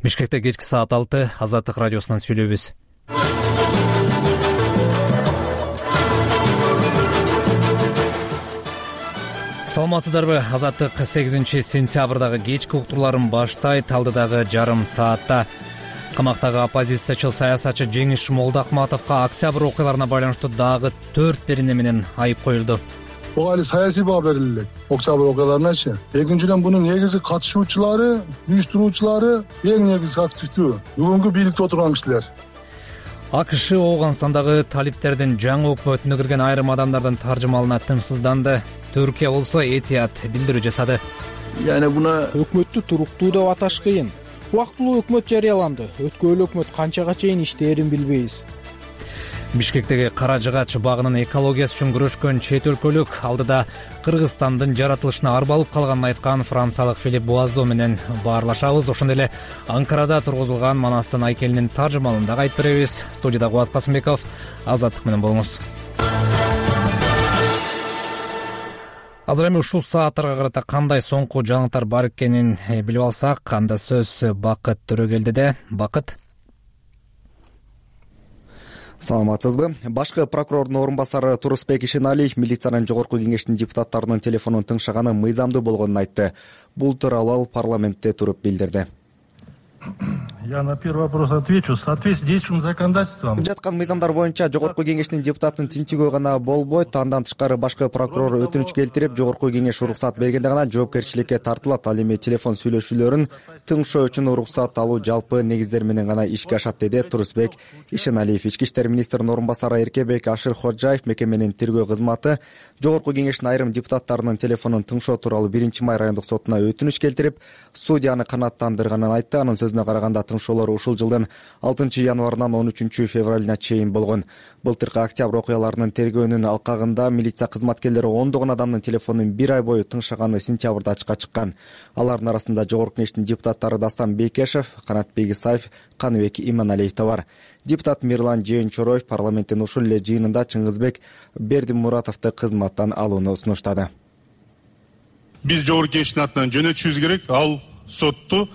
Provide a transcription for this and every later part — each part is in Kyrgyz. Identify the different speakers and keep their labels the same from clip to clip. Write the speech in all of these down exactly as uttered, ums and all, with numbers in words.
Speaker 1: Бишкекте кечки саат алты Азаттык радиосунан сүйлөйбүз. Саламатсыздарбы? Азаттык сегизинчи сентябрдагы кечки уктурларын баштайт. Алдыдагы жарым саатта камактагы оппозициячыл саясатчы Жеңиш Молдахматовго октябрь окуяларына байланыштуу дагы төрт берене менен айып коюлду.
Speaker 2: Буга али саясий баа берилет. Октябрь окуяларыначы. Экинчиден бунун негизги катышуучулары, уюштуруучулары эң негизги активдүү бүгүнкү бийликте отурган кишилер.
Speaker 1: АКШ Ооганстандагы талиптердин жаңы өкмөтүнө кирген айрым адамдардын таржымалына тынчсызданды. Түркия болсо этият билдирүү жасады.
Speaker 3: Яна буна
Speaker 4: өкмөттү туруктуу деп аташ кыйын. Убактылуу өкмөт жарыяланды. Өткөн өкмөт канчага чейин иштээрин билбейбиз.
Speaker 1: Бишкектеги Кара Жыгач багынын экологиясы үчүн күрөшкөн чет өлкөлүк алдыда Кыргызстандын жаратылышына арбалып калганын айткан франциялык Филипп Буазо менен баарлашабыз. Ошондой эле Анкарада тургузулган Манастын айкелинин таржымалын дагы айтып беребиз. Студияда Кубат Касымбеков, Азаттык менен болуңуз. Азыр эми ушул сааттарга карата кандай соңку жаңылыктар бар экенин билип алсак, анда сөз Бакыт Төрөгелдиде. Бакыт.
Speaker 5: Саламатсызбы? Башкы прокурордун орун басары Турусбек Ишеналиев милициянын жогорку кеңешинин депутаттарынын телефонун тыңшаганы мыйзамдуу болгонун айтты. Бул тууралуу ал парламентте туруп билдирди.
Speaker 6: Я на первый вопрос отвечу. В соответствии с действующим законодательством.
Speaker 5: Жаткан мыйзамдар боюнча жогорку кеңештин депутатынын тинчигөө гана болбойт. Андан тышкары башкы прокурор өтүнүч келтирип, жогорку кеңеш уруксат бергенде гана жоопкерчиликке тартылат. Ал эми телефон сүйлөшүүлөрүн тыңшоо үчүн уруксат алуу жалпы негиздер менен гана ишке ашат, деди Турусбек Ишеналиев. Ички иштер министринин орун басары Эркебек Ашырходжаев мекеменин тергөө кызматы жогорку кеңештин айрым депутаттарынын телефонун тыңшоо тууралуу биринчи май райондук сотуна өтүнүч келтирип, судьяны канааттандырганын айтты. Анын сөзүнө караганда тыңшоолор ушул жылдын алтынчы январынан он үчүнчү февралына чейин болгон. Былтыркы октябрь окуяларынын тергөөнүн алкагында милиция кызматкерлери ондогон адамдын телефонун бир ай бою тыңшаганы сентябрда ачыкка чыккан. Алардын арасында жогорку кеңештин депутаттары Дастан Бейкешев, Канатбек Исаев, Каныбек Иманалиев да бар. Депутат Мирлан Жээнчороев парламенттин ушул эле жыйынында Чыңгызбек Бердимуратовду кызматтан алууну сунуштады.
Speaker 7: Биз жогорку кеңештин атынан жөнөтүшүбүз керек, ал сотту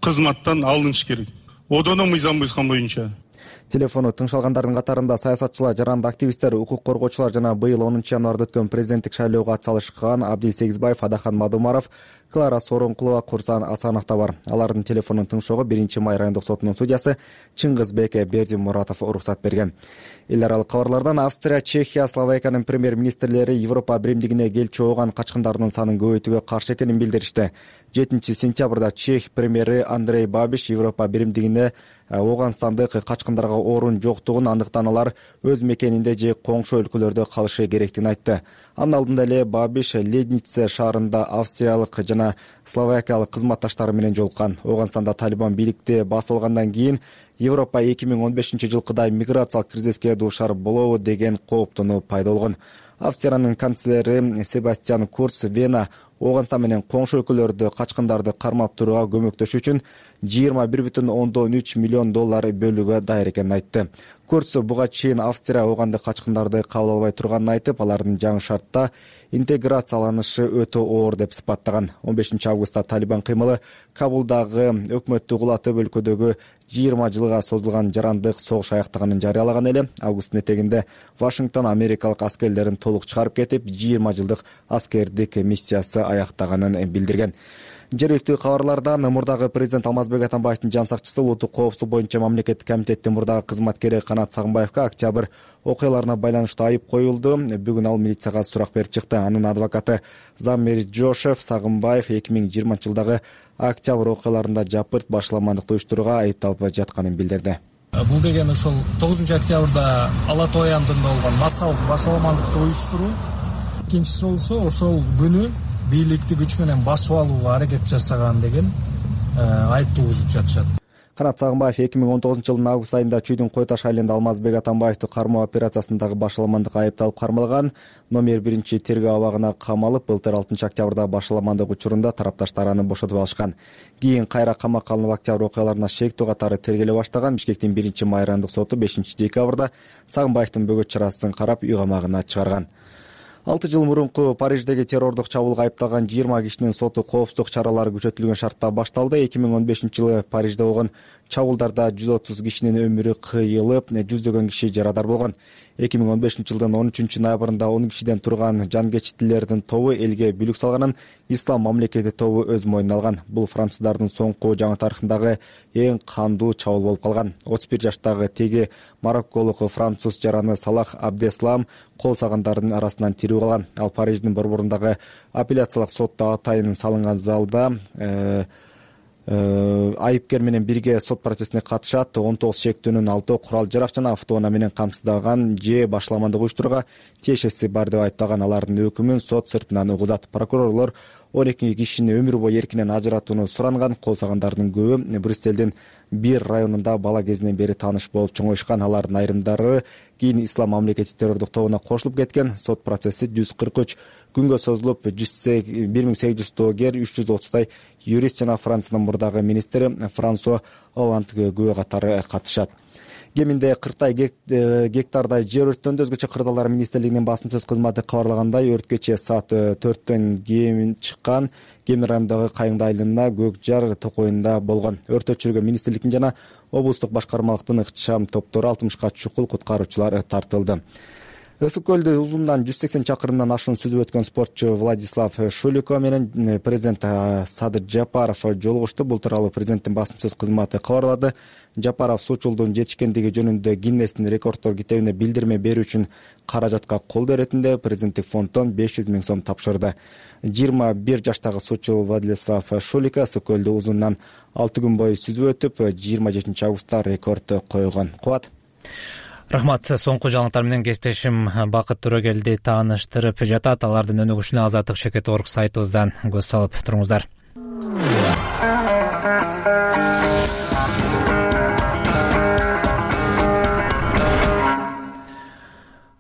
Speaker 7: кызматтан алыныш керек. Одоно мыйзам буйруган боюнча.
Speaker 5: Телефону тыңшалгандардын катарында саясатчылар, жаранды активисттер, укук коргоочулар жана быйыл онунчу январда өткөн президенттик шайлоого атсалышкан Абдил Сегизбаев, Адахан Мадумаров, Клара Сооронкулова, Курсан Асанов да бар. Алардын телефонун тыңшоого биринчи май райондук сотунун судьясы Чыңгызбек Бердимуратов уруксат берген. Эл аралык кабарлардан Австрия, Чехия, Словакиянын премьер-министрлери Европа биримдигине келчү ооган качкындардын санын көбөйтүүгө каршы экенин билдиришти. жетинчи сентябрда Чех премьери Андрей Бабиш Европа биримдигине Ооганстандык качкындарга орун жоктугун, андыктан алар өз мекенинде же коңшу өлкөлөрдө калышы керектигин айтты. Анын алдында эле Бабиш Леднице шаарында австриялык жана словакиялык кызматташтары менен жолуккан. Ооганстанда Талибан бийликти басып алгандан кийин Европа эки миң он бешинчи жылкыдай миграциялык кризиске дуушар болобу деген кооптонуу пайда болгон. Австриянын канцлери Себастьян Курц Вена Ооганстан менен коңшу өлкөлөрдө качкындарды кармап турууга көмөктөшүү үчүн жыйырма бир бүтүн ондон үч миллион доллар бөлүүгө даяр экенин айтты. Курц буга чейин Австрия оогандык качкындарды кабыл албай турганын айтып, алардын жаңы шартта интеграцияланышы өтө оор деп сыпаттаган. он бешинчи августта Талибан кыймылы Кабулдагы өкмөттү кулатып, өлкөдөгү жыйырма жылга созулган жарандык согуш аяктаганын жарыялаган эле. Августтун этегинде Вашингтон америкалык аскерлерин толук чыгарып кетип, жыйырма жылдык аскердик миссиясы аяктаганын билдирген. Жергиликтүү кабарлардан мурдагы президент Алмазбек Атамбаевдин жан сакчысы, улуттук коопсуздук боюнча мамлекеттик комитеттин мурдагы кызматкери Канат Сагынбаевга октябрь окуяларына байланыштуу айып коюлду. Бүгүн ал милицияга сурак берип чыкты. Анын адвокаты Замир Жошев Сагынбаев эки миң жыйырманчы жылдагы октябрь окуяларында жапырт башаламандыкты уюштурууга айыпталып жатканын билдирди.
Speaker 8: Бул деген ошол тогузунчу октябрда Ала Тоо аянтында болгон массалык башаламандыкты уюштуруу. Экинчиси болсо ошол күнү бийликти күч менен басып алууга аракет жасаган деген айып тугузуп жатышат.
Speaker 5: Канат Сагынбаев эки миң он тогузунчу жылдын август айында Чүйдүн Кой Таш айылында Алмазбек Атамбаевди кармоо операциясындагы башаламандыкка айыпталып кармалган. Номер биринчи тергөө абагына камалып, былтыр алтынчы октябрда башаламандык учурунда тарапташтар аны бошотуп алышкан. Кийин кайра камакка алынып октябрь окуяларына шектүү катары тергеле баштаган. Бишкектин биринчи май райондук соту бешинчи декабрда Сагынбаевдин бөгөт чарасын карап, үй камагына чыгарган. алты жыл мурунку Париждеги террордук чабуулга айыпталган жыйырма кишинин соту коопсуздук чаралары күчөтүлгөн шартта башталды. эки миң он бешинчи жылы Парижде болгон чабуулдарда жүз отуз кишинин өмүрү кыйылып, жүздөгөн киши жарадар болгон. эки миң он бешинчи жылдын он үчүнчү ноябрында он кишиден турган жангечтилердин тобу элге бүлүк салганын Ислам мамлекети тобу өз мойнуна алган. Бул француздардын соңку жаңы тарыхындагы эң кандуу чабуул болуп калган. отуз бир жаштагы теги марокколук француз жараны Салах Абдеслам кол салгандардын арасынан тирүү калган. Ал Париждин борборундагы апелляциялык сотто атайын салынган залда айыпкер менен бирге сот процессине катышат. он тогуз шектүүнүн алтоо курал жарак жана автоунаа менен камсыздаган же башаламандык уюштурууга тиешеси бар деп айыпталган. Алардын өкүмүн сот сыртынан угузат. Прокурорлор он эки кишини өмүр бою эркинен ажыратууну суранган. Кол салгандардын көбү Брюссельдин бир районунда бала кезинен бери тааныш болуп чоңоюшкан. Алардын айрымдары кийин Ислам мамлекети террордук тобуна кошулуп кеткен. Сот процесси жүз кырк үч күнгө созулуп, бир миң сегиз жүз доогер, үч жүз отуздай юрист жана Франциянын мурдагы министри Франсуа Олланд күбө катары катышат. Кеминде кырктай гектардай жер өрттөндү. Өзгөчө кырдаалар министрлигинин басым сөз кызматы кабарлагандай, өрт кечээ саат төрттөн кийин чыккан. Кемин районундагы Кайыңды айылына Көк Жар токойунда болгон. Өрт өчүргөн министрликтин жана облустук башкармалыктын ыкчам топтору алтымышка чукул куткаруучулар тартылды. Ысык көлдү узунунан жүз сексен чакырымдан ашуун сүзүп өткөн спортчу Владислав Шулико менен президент Садыр Жапаров жолугушту. Бул тууралуу президенттин басым сөз кызматы кабарлады. Жапаров суучулдун жетишкендиги жөнүндө Гиннестин рекорддор китебине билдирме берүү үчүн каражатка колдоо иретинде президенттик фонддон беш жүз миң сом тапшырды. жыйырма бир жаштагы суучу Владислав Шулико ысык көлдү узунунан алты күн бою сүзүп өтүп, жыйырма жетинчи августта рекорд койгон. Кубат.
Speaker 1: Рахмат. Соңку жаңылыктар менен кесиптешим Бакыт Төрөгелди тааныштырып жатат. Алардын өнүгүшүнө Азаттык чекит орг сайтыбыздан көз салып туруңуздар.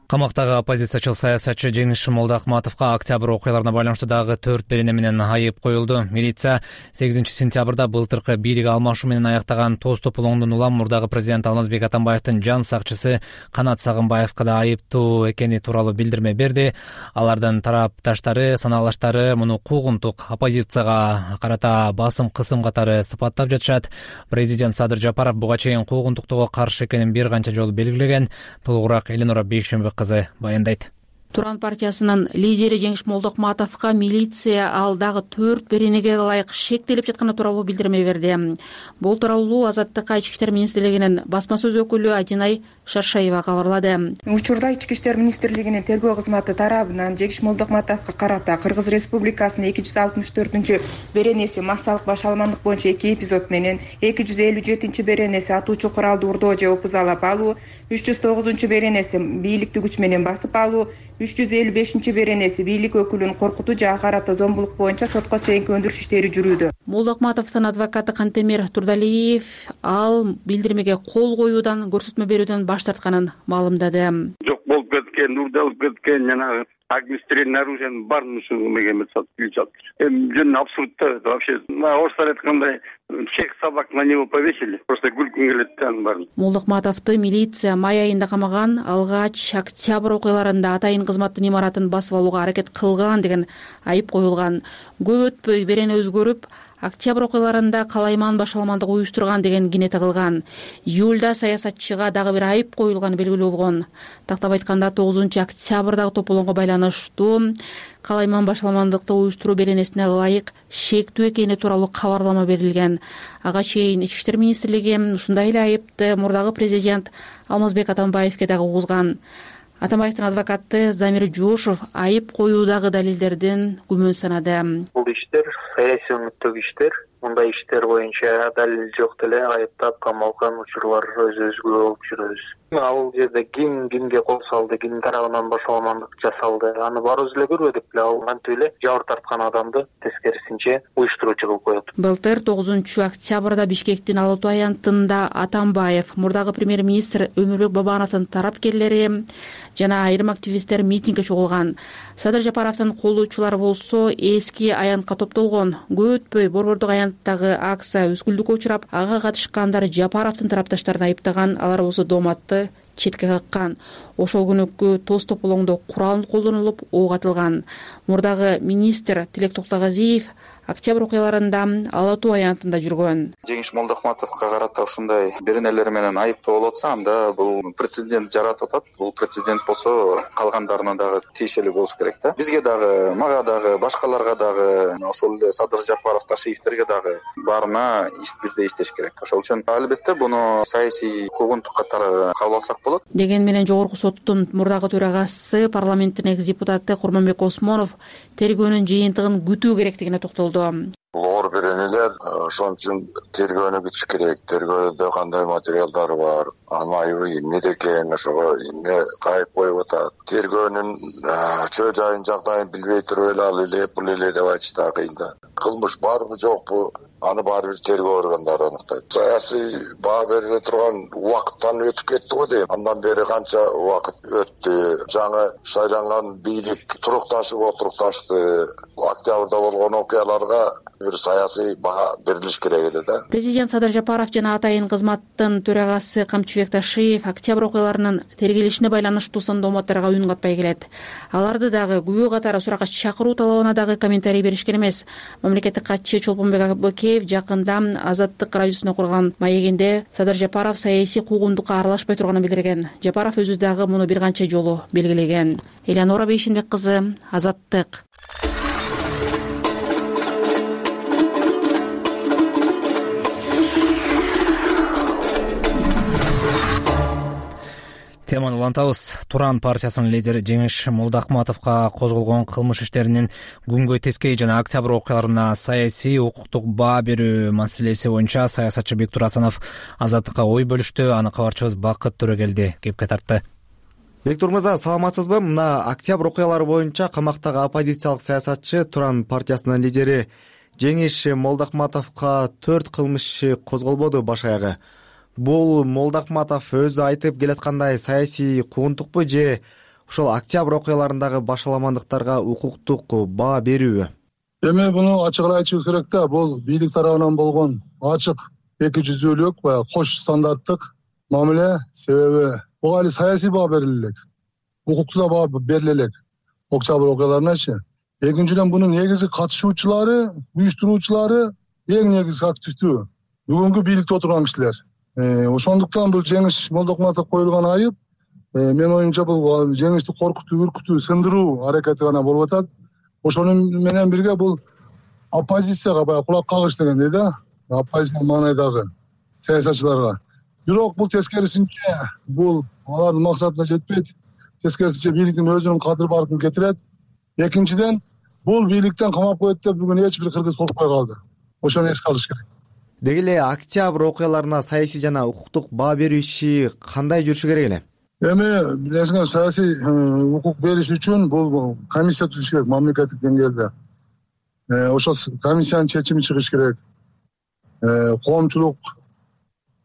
Speaker 1: Камактагы оппозициячыл саясатчы Жеңиш Молдоахматовго октябрь окуяларына байланыштуу дагы төрт берене менен айып коюлду. Милиция сегизинчи сентябрда былтыркы бийлик алмашуу менен аяктаган тоз тополоңдун улам мурдагы президент Алмазбек Атамбаевдин жан сакчысы Канат Сагынбаевга да айыптуу экени тууралуу билдирме берди. Алардын тарапташтары, санаалаштары муну куугунтук оппозицияга карата басым кысым катары сыпаттап жатышат. Президент Садыр Жапаров буга чейин куугунтуктоого каршы экенин бир канча жолу белгилеген. Толугураак Эленора Бейшембек кызы баяндайт.
Speaker 3: Туран партиясынын лидери Жеңиш Молдоахматовго милиция ал дагы төрт беренеге ылайык шектелип жатканы тууралуу билдирме берди. Бул тууралуу Азаттыкка Ички иштер министрлигинин басма сөз өкүлү Адинай Шаршаева кабарлады.
Speaker 9: Учурда Ички иштер министрлигинин тергөө кызматы тарабынан Жеңиш Молдоахматовго карата Кыргыз Республикасынын эки жүз алтымыш төртүнчү беренеси массалык башаламандык боюнча эки эпизод менен эки жүз элүү жетинчи беренеси атуучу куралды урдоо же опузалап алуу, үч жүз тогузунчу беренеси бийликти күч менен басып алуу, үч жүз элүү бешинчи беренеси бийлик өкүлүн коркутуу же ага карата зомбулук боюнча сотко чейинки өндүрүш иштери жүрүүдө.
Speaker 3: Молдоахматовдун адвокаты Кантемир Турдалиев ал билдирмеге кол коюудан, көрсөтмө берүүдөн баш тартканын маалымдады.
Speaker 10: Жок болуп кеткен, урдалып кеткен жана огнестрельное нарушение бар мусулман сатып эми жөн абсурдта вообще. Орустар айткандай всех собак на него повесили. Просто күлкүм келет анын баарын.
Speaker 3: Молдоахматовду милиция май айында камаган, алгач октябрь окуяларында атайын кызматтын имаратын басып алууга аракет кылган деген айып коюлган. Көп өтпөй берене өзгөрүп, октябрь окуяларында калайман башаламандык уюштурган деген кине тагылган. Июлда саясатчыга дагы бир айып коюлганы белгилүү болгон. Тактап айтканда тогузунчу октябрдагы тополоңго байланыштуу калайман башаламандыкты уюштуруу беренесине ылайык шектүү экени тууралуу кабарлама берилген. Ага чейин Ички иштер министрлиги ушундай эле айыпты мурдагы президент Алмазбек Атамбаевге дагы угузган. Атамбаевдин адвокаты Замир Жошов айып коюудагы далилдердин күмөн санады.
Speaker 11: Бул иштер саясий өнөктөгү иштер. Мындай иштер боюнча далил жок деле айыптап камалган учурлар өз-өзгө болуп жүрөбүз. Ал жерде ким кимге кол салды, кимдин тарабынан башаламандык жасалды, аны барыбыз эле көрбөдүк беле. Ал кантип эле жабыр тарткан адамды тескерисинче уюштуруучу кылып коет.
Speaker 3: Былтыр тогузунчу октябрда Бишкектин Ала Тоо аянтында Атамбаев, мурдагы премьер-министр Өмүрбек Бабановдун тарапкерлери жана айрым активисттер митингге чогулган. Садыр Жапаровдун колдоочулары болсо эски аянтка топтолгон. Көп өтпөй борбордук аянттагы акция өскүлдүккө учурап, ага катышкандар Жапаровдун тарапташтарын айыптаган. Алар болсо дооматты четке каккан. Ошол күнүкү тоз тополоңдо курал колдонулуп ок атылган. Мурдагы министр Тилек Токтогазиев октябрь окуяларында Ала Тоо аянтында жүргөн.
Speaker 12: Жеңиш Молдокматовго карата ушундай беренелер менен айыптоо болуп атса, анда бул прецедент жаратып атат. Бул прецедент болсо калгандарына дагы тиешелүү болуш керек да. Бизге дагы, мага дагы, башкаларга дагы, ошол эле Садыр Жапаров, Ташиевтерге дагы баарына бирдей иштеш керек. Ошол үчүн албетте буну саясий куугунтук катары кабыл алсак болот.
Speaker 3: Деген менен Жогорку соттун мурдагы төрагасы, парламенттин экс депутаты Курманбек Осмонов тергөөнүн жыйынтыгын күтүү керектигине токтолду.
Speaker 13: Оор беренелер, ошон үчүн тергөөнү күтүш керек. Тергөөдө кандай материалдар бар, анын айыбы эмнеде экен, ошого эмне кайып коюп атат. Тергөөнүн чөө жайын, жагдайын билбей туруп эле ал эле бул эле деп айтыш да кыйын да. Кылмыш барбы жокпу, аны баары бир тергөө органдары аныктайт. Саясий баа бериле турган убакыттан өтүп кетти го дейм. Андан бери канча убакыт өттү. Жаңы шайланган бийлик турукташып отурукташты. Октябрда болгон окуяларга бир саясий баа берилиш керек эле да.
Speaker 3: Президент Садыр Жапаров жана атайын кызматтын төрагасы Камчыбек Ташиев октябрь окуяларынын тергелишине байланыштуу сын дооматтарга үн катпай келет. Аларды дагы күбө катары суракка чакыруу талабына дагы комментарий беришкен эмес. Мамлекеттик катчы Чолпонбек Абыкеев жакында Азаттык радиосуна курган маегинде Садыр Жапаров саясий куугунтукка аралашпай турганын билдирген. Жапаров өзү дагы муну бир канча жолу белгилеген. Элеонора Бейшенбек кызы, Азаттык.
Speaker 1: Теманы улантабыз. Туран партиясынын лидери Жеңиш Молдокматовго козголгон кылмыш иштеринин күнгөй тескей жана октябрь окуяларына саясий укуктук баа берүү маселеси боюнча саясатчы Бектур Асанов Азаттыкка ой бөлүштү. Аны кабарчыбыз Бакыт Төрөгелди кепке тартты.
Speaker 5: Бектур мырза, саламатсызбы? Мына октябрь окуялары боюнча камактагы оппозициялык саясатчы Туран партиясынын лидери Жеңиш Молдокматовго төрт кылмыш иши козголбоду баш аягы. Бул Молдокматов өзү айтып келаткандай саясий куугунтукпу же ошол октябрь окуяларындагы башаламандыктарга укуктук баа берүүбү?
Speaker 2: Эми буну ачык айтышыбыз керек да. Бул бийлик тарабынан болгон ачык эки жүздүүлүк, баягы кош стандарттык мамиле. Себеби буга али саясий баа бериле элек, укуктуу баа бериле элек октябрь окуяларыначы. Экинчиден бунун негизги катышуучулары, уюштуруучулары эң негизги активдүү бүгүнкү бийликте отурган кишилер. Ошондуктан бул Жеңиш Молдокматов коюлган айып, мен оюмча бул Жеңишти коркутуу, үркүтүү, сындыруу аракети гана болуп атат. Ошонун менен бирге бул оппозицияга баягы кулак кагыш дегендей да, оппозиция маанайдагы саясатчыларга. Бирок бул тескерисинче, бул алардын максатына жетпейт. Тескерисинче бийликтин өзүнүн кадыр баркын кетирет. Экинчиден, бул бийликтен камап коет деп бүгүн эч бир кыргыз коркпой калды. Ошону эске алыш керек.
Speaker 5: Деги эле октябрь окуяларына саясий жана укуктук баа берүү иши кандай жүрүшү керек эле?
Speaker 2: Эми билесиңер, саясий укук бериш үчүн бул комиссия түзүш керек мамлекеттик деңгээлде. Ошол комиссиянын чечими чыгыш керек. Коомчулук,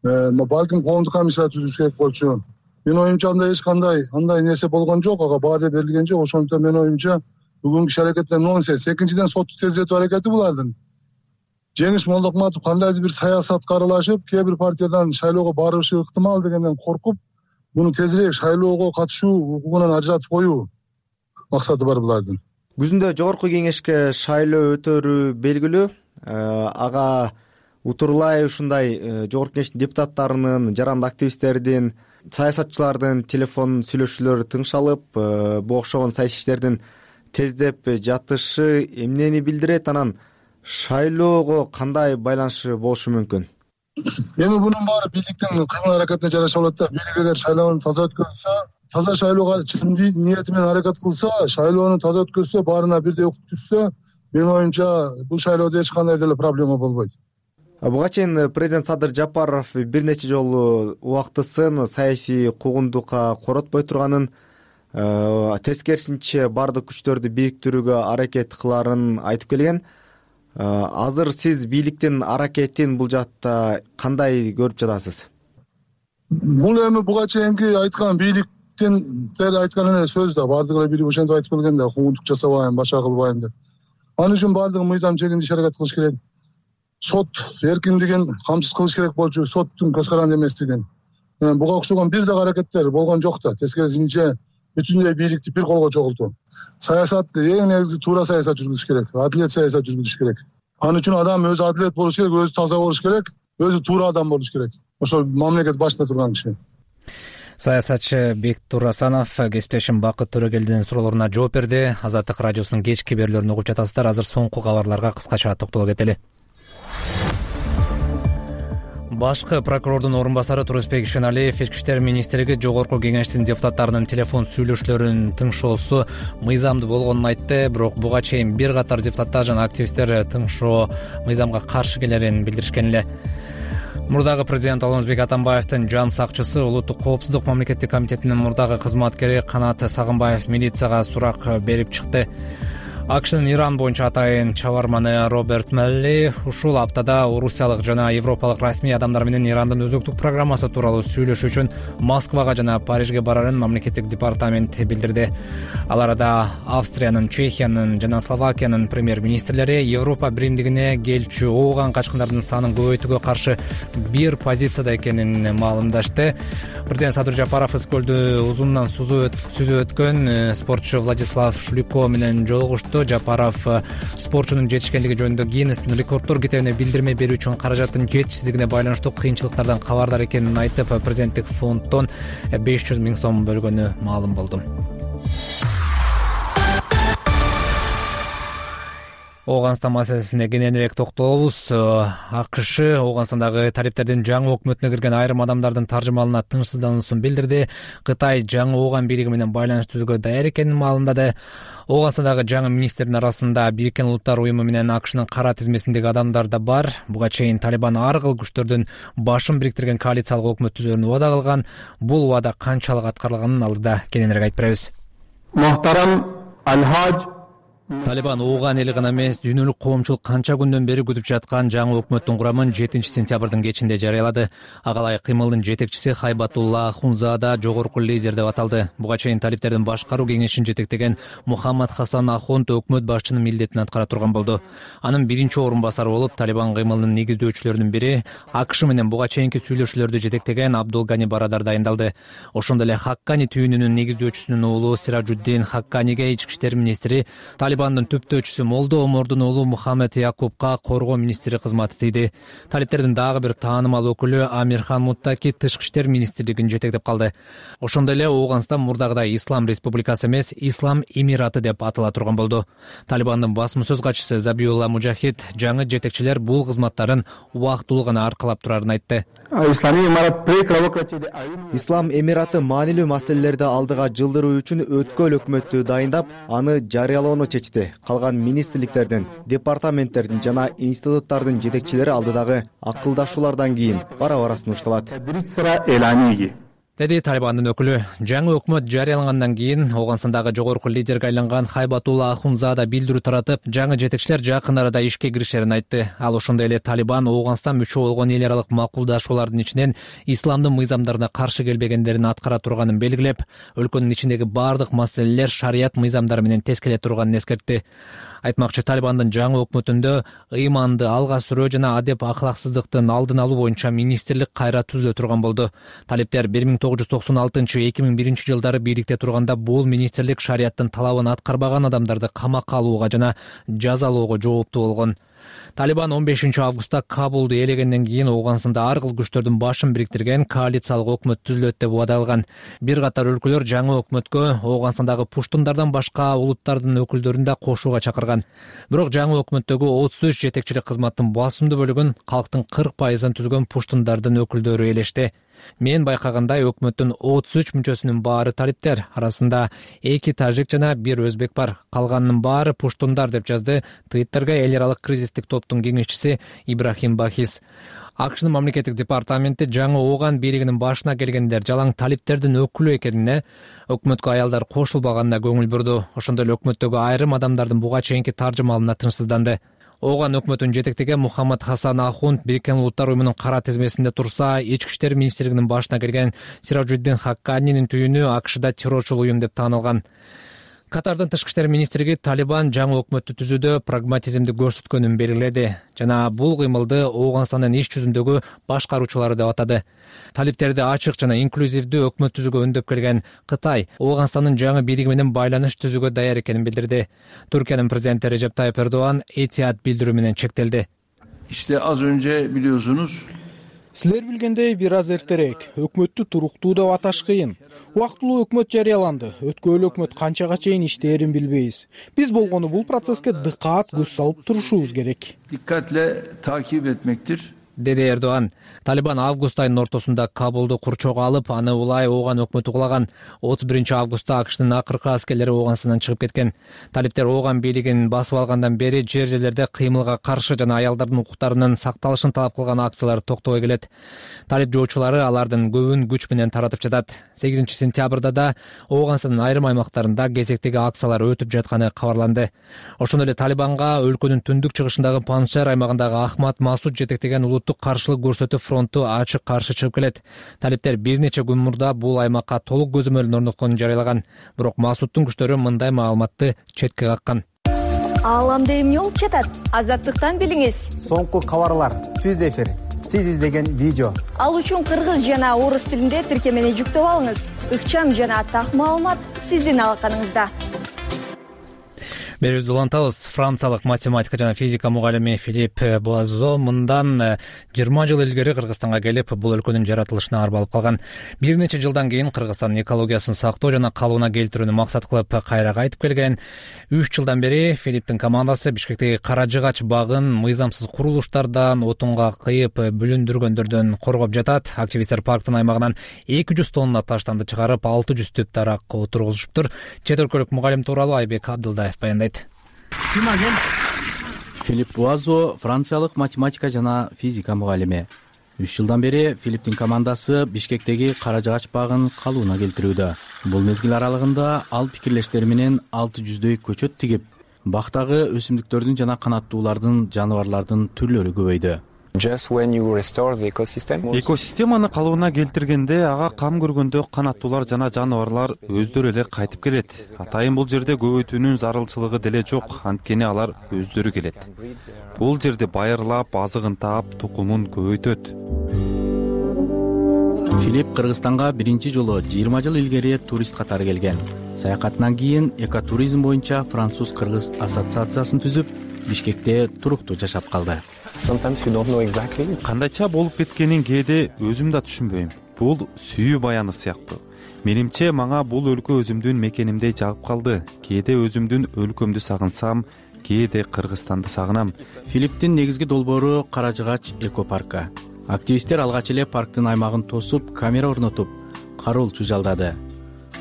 Speaker 2: балким коомдук комиссия түзүш керек болчу. Мен оюмча андай эч кандай андай нерсе болгон жок, ага баа деп берилген жок. Ошондуктан мен оюмча бүгүнкү иш аракеттер нонсенс. Экинчиден, сотту тездетүү аракети булардын. Жеңиш Молдокматов кандайдыр бир саясатка аралашып, кээ бир партиядан шайлоого барышы ыктымал дегенден коркуп, муну тезирээк шайлоого катышуу укугунан ажыратып коюу максаты бар булардын.
Speaker 5: Күзүндө жогорку кеңешке шайлоо өтөрү белгилүү. Ага утурлай ушундай жогорку кеңештин депутаттарынын, жаранды активисттердин, саясатчылардын телефон сүйлөшүүлөрү тыңшалып, бу окшогон саясий иштердин тездеп жатышы эмнени билдирет? Анан шайлоого кандай байланышы болушу мүмкүн?
Speaker 2: Эми бунун баары бийликтин кыймыл аракетине жараша болот да. Бийлик эгер шайлоону таза өткөзсө, таза шайлоого чын ниети менен аракет кылса, шайлоону таза өткөзсө, баарына бирдей укук түшсө, мен оюмча бул шайлоодо эч кандай деле проблема болбойт.
Speaker 5: Буга чейин президент Садыр Жапаров бир нече жолу убактысын саясий куугунтукка коротпой турганын, тескерисинче бардык күчтөрдү бириктирүүгө аракет кыларын айтып келген. Азыр сиз бийликтин аракетин бул жакта кандай көрүп жатасыз?
Speaker 2: Бул эми буга чейинки айткан бийликтин айткан эле сөз да, бардык эле бийлик ошентип айтып келген да, куугунтук жасабайм, башка кылбайм деп. Ал үчүн бардыгы мыйзам чегинде иш аракет кылыш керек. Сот эркиндигин камсыз кылыш керек болчу, соттун көз каранды эместигин. буга окшогон бир дагы аракеттер болгон жок да. Тескерисинче бүтүндөй бийликти бир колго чогултуу. Саясатты эң негизи туура саясат жүргүзүш керек, адилет саясат жүргүзүш керек. Ан үчүн адам өзү адилет болуш керек, өзү таза болуш керек, өзү туура адам болуш керек. Ошол мамлекет башында турган киши.
Speaker 1: Саясатчы Бектур Асанов кесиптешим Бакыт Төрөгелдинин суроолоруна жооп берди. Азаттык радиосунун кечки берүүлөрүн угуп жатасыздар. Азыр соңку кабарларга кыскача токтоло кетели. Башкы прокурордун орун басары Турусбек Ишеналиев Ички иштер министрлиги Жогорку Кеңештин депутаттарынын телефон сүйлөшүүлөрүнүн тыңшоосу мыйзамдуу болгонун айтты. Бирок буга чейин бир катар депутаттар жана активисттер тыңшоо мыйзамга каршы келерин билдиришкен эле. Мурдагы президент Алмазбек Атамбаевдин жан сакчысы улуттук коопсуздук мамлекеттик комитетинин мурдагы кызматкери Канат Сагынбаев милицияга сурак берип чыкты. АКШнын Иран боюнча атайын чабарманы Роберт Мелли ушул аптада орусиялык жана европалык расмий адамдар менен Ирандын өзөктүк программасы тууралуу сүйлөшүү үчүн Москвага жана Парижге барарын мамлекеттик департамент билдирди. Ал арада Австриянын, Чехиянын жана Словакиянын премьер-министрлери Европа биримдигине келчү ооган качкындардын санын көбөйтүүгө каршы бир позицияда экенин маалымдашты. Президент Садыр Жапаров Ыскөлдү узундан сүзүп өткөн спортчу Владислав Шлюко менен жолугушту. Жапаров спортчунун жетишкендиги жөнүндө Гиннестин рекорддор китебине билдирме берүү үчүн каражаттын жетишсиздигине байланыштуу кыйынчылыктардан кабардар экенин айтып, президенттик фонддон беш жүз миң сом бөлгөнү маалым болду. Ооганстан маселесине кененирээк токтолобуз. АКШ Ооганстандагы талиптердин жаңы өкмөтүнө кирген айрым адамдардын таржымалына тынчсыздануусун билдирди. Кытай жаңы Ооган бийлиги менен байланыш түзүүгө даяр экенин маалымдады. Ооганстандагы жаңы министрдин арасында Бириккен Улуттар уюму менен АКШнын кара тизмесиндеги адамдар да бар. Буга чейин Талибан ар кыл күчтөрдүн башын бириктирген коалициялык өкмөт түзүүнү убада кылган. Бул убада канчалык аткарылганын алдыда кененирээк айтып беребиз.
Speaker 14: Мохтарам Алхаж
Speaker 1: Талибан Ооган эли гана эмес, дүйнөлүк коомчулук канча күндөн бери күтүп жаткан жаңы өкмөттүн курамын жетинчи сентябрдын кечинде жарыялады. Агалай кыймылдын жетекчиси Хайбатулла Ахунзада жогорку лидер деп аталды. Буга чейин талиптердин башкаруу кеңешин жетектеген Мухаммад Хасан Ахунд өкмөт башчынын милдетин аткара турган болду. Анын биринчи орун басары болуп, Талибан кыймылынын негиздөөчүлөрүнүн бири АКШ менен буга чейинки сүйлөшүүлөрдү жетектеген Абдулгани Барадар дайындалды. Ошондой эле Хаккани түйүнүнүн негиздөөчүсүнүн уулу Сиражуддин Хакканиге ички иштер министри, Талибандын түптөөчүсү Молдо Омордун уулу Мухаммед Якубка коргоо министри кызматы тийди. Талиптердин дагы бир таанымал өкүлү Амирхан Муттаки тышкы иштер министрлигин жетектеп калды. Ошондой эле Ооганстан мурдагыдай Ислам республикасы эмес, Ислам Эмираты деп атала турган болду. Талибандын басма сөз катчысы Забиулла Мужахид жаңы жетекчилер бул кызматтарын убактылуу гана аркалап турарын айтты.
Speaker 5: Ислам Эмираты маанилүү маселелерди алдыга жылдыруу үчүн өткөл өкмөттү дайындап, аны жарыялоону чечти. Калган министрликтердин, департаменттердин жана институттардын жетекчилери алдыдагы акылдашуулардан кийин бара-бара сунушталат, деди Талибандын өкүлү. Жаңы өкмөт жарыялангандан кийин Ооганстандагы жогорку лидерге айланган Хайбатулла Ахунзада билдирүү таратып, жаңы жетекчилер жакын арада ишке киришерин айтты. Ал ошондой эле Талибан Ооганстан мүчө болгон эл аралык макулдашуулардын ичинен исламдын мыйзамдарына каршы келбегендерин аткара турганын белгилеп, өлкөнүн ичиндеги бардык маселелер шарият мыйзамдары менен тез келе турганын эскертти. Айтмакчы, Талибандын жаңы өкмөтүндө ыйманды алга сүрөө жана адеп акылаксыздыктын алдын алуу боюнча министрлик кайра түзүлө турган болду. Талиптер бир миң тогуз жүз токсон алтынчы эки миң биринчи жылдары бийликте турганда бул министрлик шарияттын талабын аткарбаган адамдарды камакка алууга жана жазалоого жооптуу болгон. Талибан он бешинчи августта Кабулду ээлегенден кийин Ооганстанда ар кыл күчтөрдүн башын бириктирген коалициялык өкмөт түзүлөт деп убада кылган. Бир катар өлкөлөр жаңы өкмөткө Ооганстандагы пуштундардан башка улуттардын өкүлдөрүн да кошууга чакырган. Бирок жаңы өкмөттөгү отуз үч жетекчилик кызматтын басымдуу бөлүгүн калктын кырк пайызын түзгөн пуштундардын өкүлдөрү ээлешти. Мен байкагандай өкмөттүн отуз үч мүчөсүнүн баары талиптер, арасында эки тажик жана бир өзбек бар. Калганынын баары пуштундар деп жазды Твиттерге эл аралык кризистик топтун кеңешчиси Ибрахим Бахис. АКШнын мамлекеттик департаменти жаңы Ооган бийлигинин башына келгендер жалаң талиптердин өкүлү экенине, өкмөткө аялдар кошулбаганына көңүл бурду. Ошондой эле өкмөттөгү айрым адамдардын буга чейинки таржымалына тынчсызданды. Ооган өкмөтүн жетектеген Мухаммад Хасан Ахунд Бириккен Улуттар уюмунун кара тизмесинде турса, ички иштер министрлигинин башына келген Сиражуддин Хакканинин түйүнү АКШда террорчул уюм деп таанылган.
Speaker 1: Катардын тышкы иштер министрлиги Талибан жаңы өкмөттү түзүүдө прагматизмди көрсөткөнүн белгиледи жана бул кыймылды Ооганстандын иш жүзүндөгү башкаруучулары деп атады. Талиптерди ачык жана инклюзивдүү өкмөт түзүүгө үндөп келген Кытай Ооганстандын жаңы бийлиги менен байланыш түзүүгө даяр экенин билдирди. Туркиянын президенти Режеп Тайып Эрдоган этият билдирүү менен чектелди.
Speaker 15: İşte az önce biliyorsunuz.
Speaker 4: Силер билгендей бир аз эртерээк өкмөттү туруктуу деп аташ кыйын. Убактылуу өкмөт жарыяланды. Өткөн өкмөт канчага чейин иштээрин билбейбиз. Биз болгону бул процесске дыккат көз салып турушубуз керек.
Speaker 15: Dikkatle takip etmektir.
Speaker 1: Деди Эрдоган. Талибан август айынын ортосунда Кабулду курчоого алып, аны улай Ооган өкмөтү кулаган. отуз биринчи августта АКШнын акыркы аскерлери Ооганстандан чыгып кеткен. Талиптер Ооган бийлигин басып алгандан бери жер жерлерде кыймылга каршы жана аялдардын укуктарынын сакталышын талап кылган акциялар токтобой келет. Талип жоочулары алардын көбүн күч менен таратып жатат. сегизинчи сентябрда да Ооганстандын айрым аймактарында кезектеги акциялар өтүп жатканы кабарланды. Ошондой эле Талибанга өлкөнүн түндүк чыгышындагы Панжшер аймагындагы Ахмад Масуд жетектеген улуттук каршылык көрсөтүү фронту ачык каршы чыгып келет. Талиптер бир нече күн мурда бул аймакка толук көзөмөлүн орнотконун жарыялаган. Бирок Масудтун күчтөрү мындай маалыматты четке каккан.
Speaker 16: Ааламда эмне болуп жатат? Азаттыктан билиңиз.
Speaker 17: Соңку кабарлар, түз эфир, сиз издеген видео.
Speaker 16: Ал үчүн кыргыз жана орус тилинде тиркемени жүктөп алыңыз. Ыкчам жана так маалымат сиздин алаканыңызда.
Speaker 1: Берүүбүздү улантабыз. Франциялык математика жана физика мугалими Филипп Буазо мындан жыйырма жыл илгери Кыргызстанга келип, бул өлкөнүн жаратылышына арбалып калган. Бир нече жылдан кийин Кыргызстандын экологиясын сактоо жана калыбына келтирүүнү максат кылып кайра кайтып келген. үч жылдан бери Филипптин командасы Бишкектеги Кара Жыгач багын мыйзамсыз курулуштардан, отунга кыйып бүлүндүргөндөрдөн коргоп жатат. Активисттер парктын аймагынан эки жүз тонна таштанды чыгарып, алты жүз түп дарак отургузуштур. Чет өлкөлүк мугалим тууралуу Айбек Абдылдаев баяндайт.
Speaker 18: Филипп Буазо франциялык математика жана физика мугалими. үч жылдан бери Филипптин командасы Бишкектеги Кара Жыгач багын калыбына келтирүүдө. Бул мезгил аралыгында ал пикирлештери менен алты жүздөй көчөт тигип, бактагы өсүмдүктөрдүн жана канаттуулардын, жаныбарлардын түрлөрү көбөйдү.
Speaker 19: Экосистеманы калыбына келтиргенде ага кам көргөндө канаттуулар жана жаныбарлар өздөрү эле кайтып келет. Атайын бул жерде көбөйтүүнүн зарылчылыгы деле жок, анткени алар өздөрү келет. Бул жерде байырлап, азыгын таап, тукумун көбөйтөт.
Speaker 18: Филипп Кыргызстанга биринчи жолу жыйырма жыл илгери турист катары келген. Саякатынан кийин экотуризм боюнча француз-кыргыз ассоциациясын түзүп, Бишкекте туруктуу жашап калды.
Speaker 19: Кандайча болуп кеткенин кээде өзүм да түшүнбөйм. Бул сүйүү баяны сыяктуу. Менимче мага бул өлкө өзүмдүн мекенимдей жагып калды. Кээде өзүмдүн өлкөмдү сагынсам, кээде Кыргызстанды сагынам.
Speaker 18: Филипптин негизги долбоору Кара Жыгач экопаркы. Активисттер алгач эле парктын аймагын тосуп, камера орнотуп, кароолчу жалдады.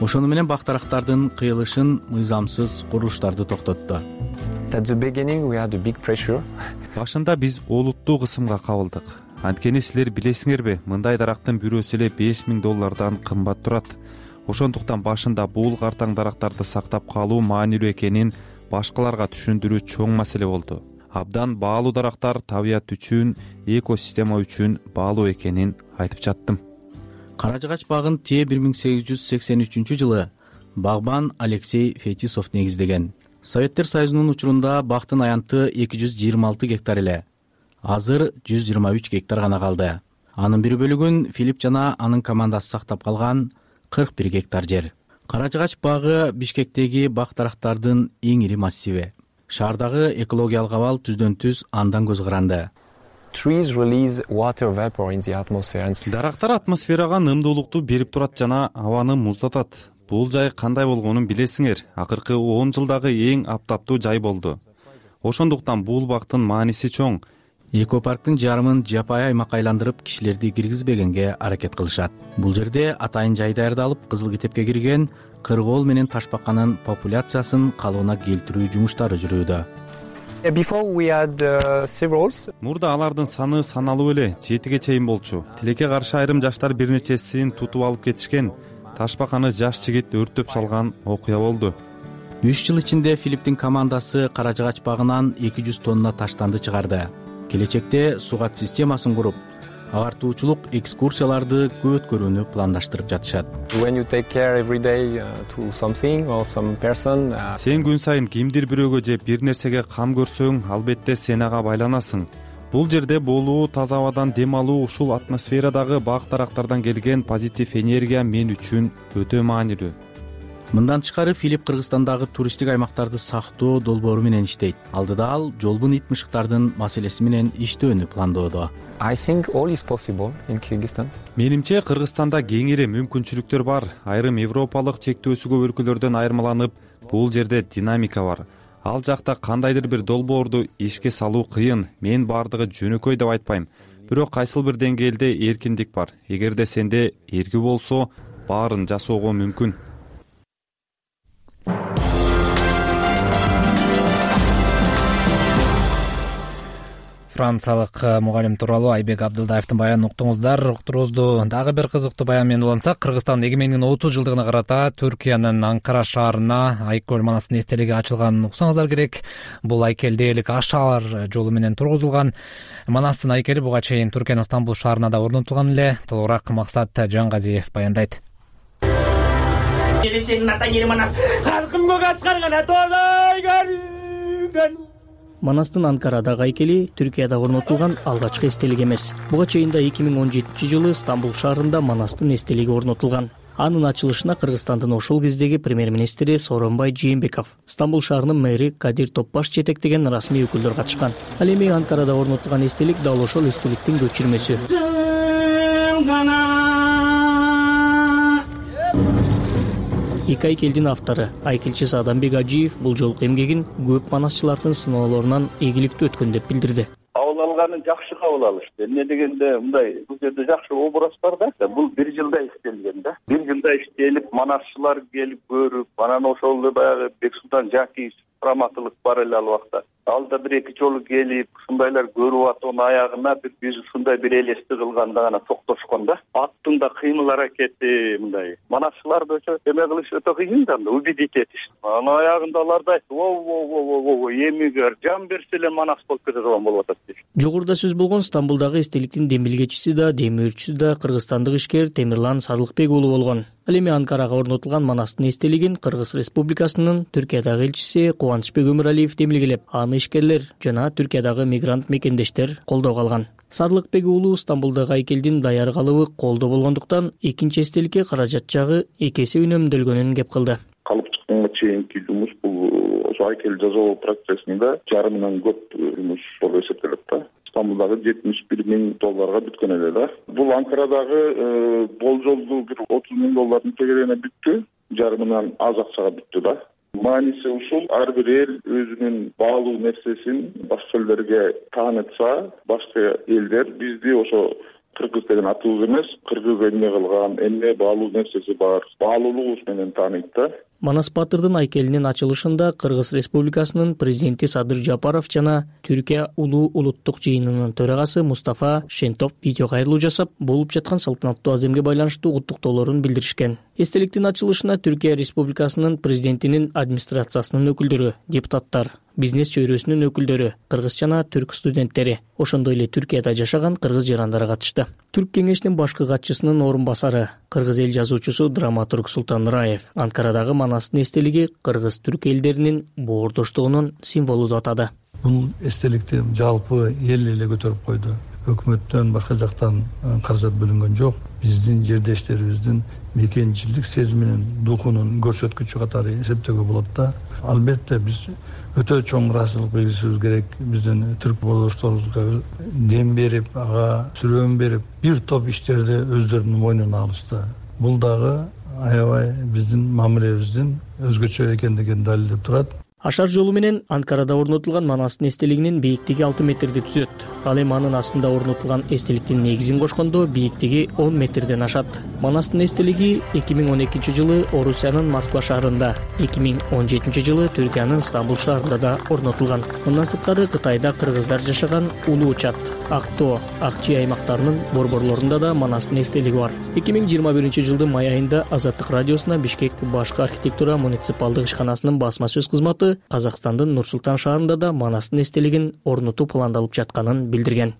Speaker 18: Ошону менен бактарактардын кыйылышын, мыйзамсыз курулуштарды токтотту.
Speaker 19: Башында биз олуттуу кысымга кабылдык. Анткени силер билесиңерби, мындай дарактын бирөөсү эле беш миң доллардан кымбат турат. Ошондуктан башында бул картаң дарактарды сактап калуу маанилүү экенин башкаларга түшүндүрүү чоң маселе болду. Абдан баалуу дарактар табият үчүн, экосистема үчүн баалуу экенин айтып жаттым.
Speaker 18: Кара Жыгач багын Те бир миң сегиз жүз сексен үчүнчү жылы багбан Алексей Фетисов негиздеген. Советтер Союзунун учурунда бактын аянты эки жүз жыйырма алты гектар эле. Азыр жүз жыйырма үч гектар гана калды. Анын бир бөлүгүн Филипп жана анын командасы сактап калган кырк бир гектар жер. Кара Жыгач багы Бишкектеги бак дарактардын эң ири массиви. Шаардагы экологиялык абал түздөн түз андан көз каранды.
Speaker 19: Дарактар атмосферага нымдуулукту берип турат жана абаны муздатат. Бул жай кандай болгонун билесиңер. Акыркы он жылдагы эң аптаптуу жай болду. Ошондуктан бул бактын мааниси чоң.
Speaker 18: Экопарктын жарымын жапайы аймакка айландырып, кишилерди киргизбегенге аракет кылышат. Бул жерде атайын жай даярдалып, кызыл китепке кирген кыргоол менен ташбаканын популяциясын калыбына келтирүү жумуштары жүрүүдө.
Speaker 19: Мурда алардын саны саналуу эле жетиге чейин болчу. Тилекке каршы айрым жаштар бир нечесин тутуп алып кетишкен. Ташбаканы жаш жигит өрттөп салган окуя болду.
Speaker 18: үч жыл ичинде Филипптин командасы Кара Жыгач багынан эки жүз тонна таштанды чыгарды. Келечекте сугат системасын куруп, агартуучулук экскурсияларды көп өткөрүүнү пландаштырып жатышат.
Speaker 19: Сен күн сайын кимдир бирөөгө же бир нерсеге кам көрсөң, албетте сен ага байланасың. Бул жерде болуу, таза абадан дем алуу, ушул атмосферадагы бак-дарактардан келген позитив энергия мен үчүн өтө маанилүү.
Speaker 18: Мындан тышкары Филипп Кыргызстандагы туристтик аймактарды сактоо долбоору менен иштейт. Алдыда ал жолбун ит мышыктардын маселеси менен иштөөнү пландоодо.
Speaker 19: Менимче Кыргызстанда кеңири мүмкүнчүлүктөр бар. Айрым европалык чектөөсү көп өлкөлөрдөн айырмаланып, бул жерде динамика бар. Ал жакта кандайдыр бир долбоорду ишке салуу кыйын. Мен баардыгы жөнөкөй деп айтпайм. Бирок кайсыл бир деңгээлде эркиндик бар. Эгерде сенде эрки болсо, баарын жасоого мүмкүн.
Speaker 1: Франциялык мугалим тууралуу Айбек Абдылдаевдин баянын уктуңуздар. Уктуруубузду дагы бир кызыктуу баян менен улантсак, Кыргызстан эгемендигинин отуз жылдыгына карата Түркиянын Анкара шаарына Айкөл манастын эстелиги ачылганын уксаңыздар керек. Бул айкел дээрлик Ашаар жолу менен тургузулган. Манастын айкели буга чейин Түркиянын Стамбул шаарына да орнотулган эле. Толугураак Максат Жангазиев баяндайт.
Speaker 20: Манастын Анкарадагы айкели Түркияда орнотулган алгачкы эстелик эмес. Буга чейин да эки миң он жетинчи жылы Стамбул шаарында Манастын эстелиги орнотулган. Анын ачылышына Кыргызстандын ошол кездеги премьер-министри Сооронбай Жээнбеков, Стамбул шаарынын мэри Кадир Топбаш жетектеген расмий өкүлдөр катышкан. Ал эми Анкарада орнотулган эстелик дал ошол эстеликтин көчүрмөсү. Эки айкелдин автору айкелчи Сааданбек Ажиев бул жолку эмгегин көп манасчылардын сыноолорунан ийгиликтүү өткөн деп билдирди.
Speaker 21: Кабыл алганын жакшы кабыл алышты. Эмне дегенде мындай бул жерде жакшы образ бар да. Бул бир жылда иштелген да. Бир жылда иштелип, манасчылар келип көрүп, анан ошол баягы Бексултан Жакиев раматылык бар эле ал убакта. Ал да бир эки жолу келип, ушундайлар көрүп атуунун аягына бир биз ушундай бир элести кылганда гана токтошкон да. Аттын да кыймыл аракети мындай. Манасчыларды өчө эме кылыш өтө кыйын да, убедить этиш. Анын аягында алар да о-о-о-о-о, эмигер жан берсе эле манас болуп кете турган болуп атат дейт.
Speaker 20: Жогоруда сөз болгон Стамбулдагы эстеликтин демилгечиси да, демөөрчүсү да кыргызстандык ишкер Темирлан Сарлыкбек уулу болгон. Ал эми Анкарага орнотулган манастын эстелигин Кыргыз Республикасынын Түркиядагы элчиси Кубанычбек Өмүралиев демилгелеп, аны ишкерлер жана Түркиядагы мигрант мекендештер колдоого алган. Сарлыкбек уулу Стамбулдагы айкелдин даяр калыбы колдо болгондуктан экинчи эстеликке каражат жагы эки эсе үнөмдөлгөнүн кеп кылды.
Speaker 22: Калып чыкканга чейинки жумуш бул ошо айкел жасоо процессинде жарымынан көп жумуш болуп эсептелет да. Стамбулдагы жетимиш бир миң долларга бүткөн эле да. Бул Анкарадагы болжолдуу бир отуз миң доллардын тегерене бүттү, жарымынан аз акчага бүттү да. Мааниси ушул, ар бир эл өзүнүн баалуу нерсесин башка элдерге таанытса, башка элдер бизди ошо кыргыз деген атыбыз эмес, кыргыз эмне кылган, эмне баалуу нерсеси бар, баалуулугубуз менен тааныйт да.
Speaker 20: Манас Батырдын айкелинин ачылышында Кыргыз Республикасынын президенти Садыр Жапаров жана Түркия улуу улуттук жыйынынын төрагасы Мустафа Шентоп видео кайрылуу жасап, болуп жаткан салтанаттуу аземге байланыштуу куттуктоолорун билдиришкен. Эстеликтин ачылышына Түркия Республикасынын президентинин администрациясынын өкүлдөрү, депутаттар, бизнес чөйрөсүнүн өкүлдөрү, кыргыз жана түрк студенттери, ошондой эле Түркияда жашаган кыргыз жарандары катышты. Түрк кеңешинин башкы катчысынын орун басары, кыргыз эл жазуучусу, драматург Султан Раев Анкарадагы манастын эстелиги кыргыз-түрк элдеринин боордоштугунун символу деп атады.
Speaker 23: Бул эстеликти жалпы эл эле көтөрүп койду. Өкмөттөн, башка жактан каражат бөлүнгөн жок. Биздин жердештерибиздин мекенчилдик сезиминин, духунун көрсөткүчү катары эсептөөгө болот да. Албетте биз өтө чоң ыраазычылык билдиришибиз керек. Биздин түрк боордошторубузга дем берип, ага сүрөөн берип, бир топ иштерди өздөрүнүн мойнуна алышты. Бул дагы аябай биздин мамилебиздин өзгөчө экендигин далилдеп турат.
Speaker 20: Ашар жолу менен Анкарада орнотулган манастын эстелигинин бийиктиги алты метрди түзөт. Ал эми анын астында орнотулган эстеликтин негизин кошкондо бийиктиги он метрден ашат. Манастын эстелиги эки миң он экинчи жылы Орусиянын Москва шаарында, эки миң он жетинчи жылы Түркиянын Стамбул шаарында да орнотулган. Мындан сырткары Кытайда кыргыздар жашаган Улуу Чат, Актоо, Акчи аймактарынын борборлорунда да манастын эстелиги бар. эки миң жыйырма биринчи жылдын май айында Азаттык радиосуна Бишкек башкы архитектура муниципалдык ишканасынын басма сөз кызматы Казакстандын Нур Султан шаарында да манастын эстелигин орнотуу пландалып жатканын билдирген.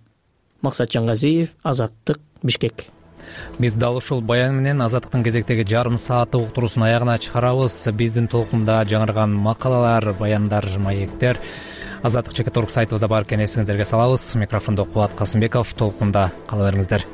Speaker 20: Максат Жангазиев, Азаттык, Бишкек.
Speaker 1: Биз дал ушул баян менен Азаттыктын кезектеги жарым сааттык уктуруусун аягына чыгарабыз. Биздин толкунда жаңырган макалалар, баяндар, маектер Азаттык чекит орг сайтыбызда бар экенин эсиңиздерге салабыз. Микрофондо Кубат Касымбеков. Толкунда кала бериңиздер.